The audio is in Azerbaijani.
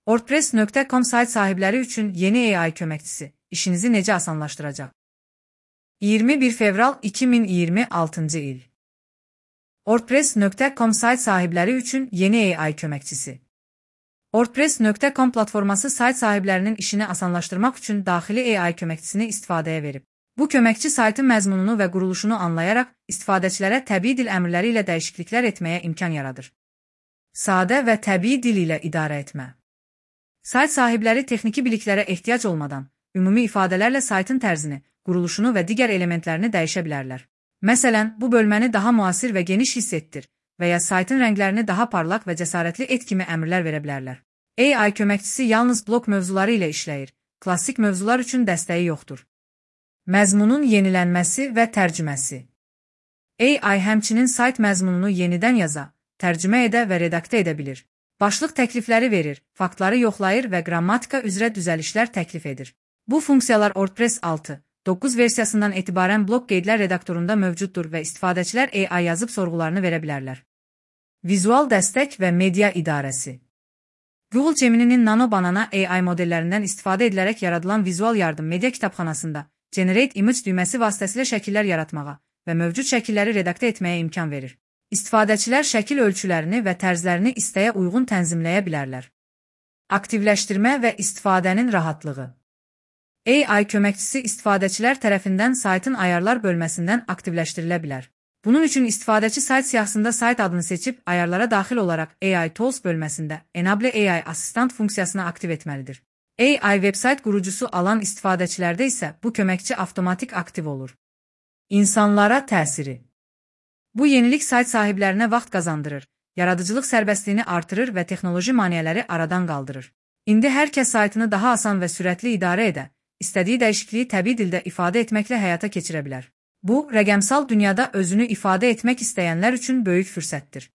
WordPress.com sayt sahibləri üçün yeni AI köməkçisi işinizi necə asanlaşdıracaq? 21 fevral 2026 il. WordPress.com sayt sahibləri üçün yeni AI köməkçisi. WordPress.com platforması sayt sahiblərinin işini asanlaşdırmaq üçün daxili AI köməkçisini istifadəyə verib. Bu köməkçi saytın məzmununu və quruluşunu anlayaraq istifadəçilərə təbii dil əmrləri ilə dəyişikliklər etməyə imkan yaradır. Sadə və təbii dil ilə idarə etmə. Sayt sahibləri texniki biliklərə ehtiyac olmadan, ümumi ifadələrlə saytın tərzini, quruluşunu və digər elementlərini dəyişə bilərlər. Məsələn, bu bölməni daha müasir və geniş hiss etdir və ya saytın rənglərini daha parlaq və cəsarətli et kimi əmrlər verə bilərlər. AI köməkçisi yalnız blok mövzuları ilə işləyir, klassik mövzular üçün dəstəyi yoxdur. Məzmunun yenilənməsi və tərcüməsi. AI həmçinin sayt məzmununu yenidən yaza, tərcümə edə və redaktə edə bilir. Başlıq təklifləri verir, faktları yoxlayır və qrammatika üzrə düzəlişlər təklif edir. Bu funksiyalar WordPress 6.9 versiyasından etibarən blok qeydlər redaktorunda mövcuddur və istifadəçilər AI yazıb sorğularını verə bilərlər. Vizual dəstək və media idarəsi. Google Gemini'nin Nano Banana AI modellərindən istifadə edilərək yaradılan vizual yardım media kitabxanasında Generate Image düyməsi vasitəsilə şəkillər yaratmağa və mövcud şəkilləri redaktə etməyə imkan verir. İstifadəçilər şəkil ölçülərini və tərzlərini istəyə uyğun tənzimləyə bilərlər. Aktivləşdirmə və istifadənin rahatlığı. AI köməkçisi istifadəçilər tərəfindən saytın ayarlar bölməsindən aktivləşdirilə bilər. Bunun üçün istifadəçi sayt siyahısında sayt adını seçib ayarlara daxil olaraq AI Tools bölməsində Enable AI Assistant funksiyasını aktiv etməlidir. AI vebsayt qurucusu alan istifadəçilərdə isə bu köməkçi avtomatik aktiv olur. İnsanlara təsiri. Bu yenilik sayt sahiblərinə vaxt qazandırır, yaradıcılıq sərbəstliyini artırır və texnoloji maneələri aradan qaldırır. İndi hər kəs saytını daha asan və sürətli idarə edə, istədiyi dəyişikliyi təbii dildə ifadə etməklə həyata keçirə bilər. Bu, rəqəmsal dünyada özünü ifadə etmək istəyənlər üçün böyük fürsətdir.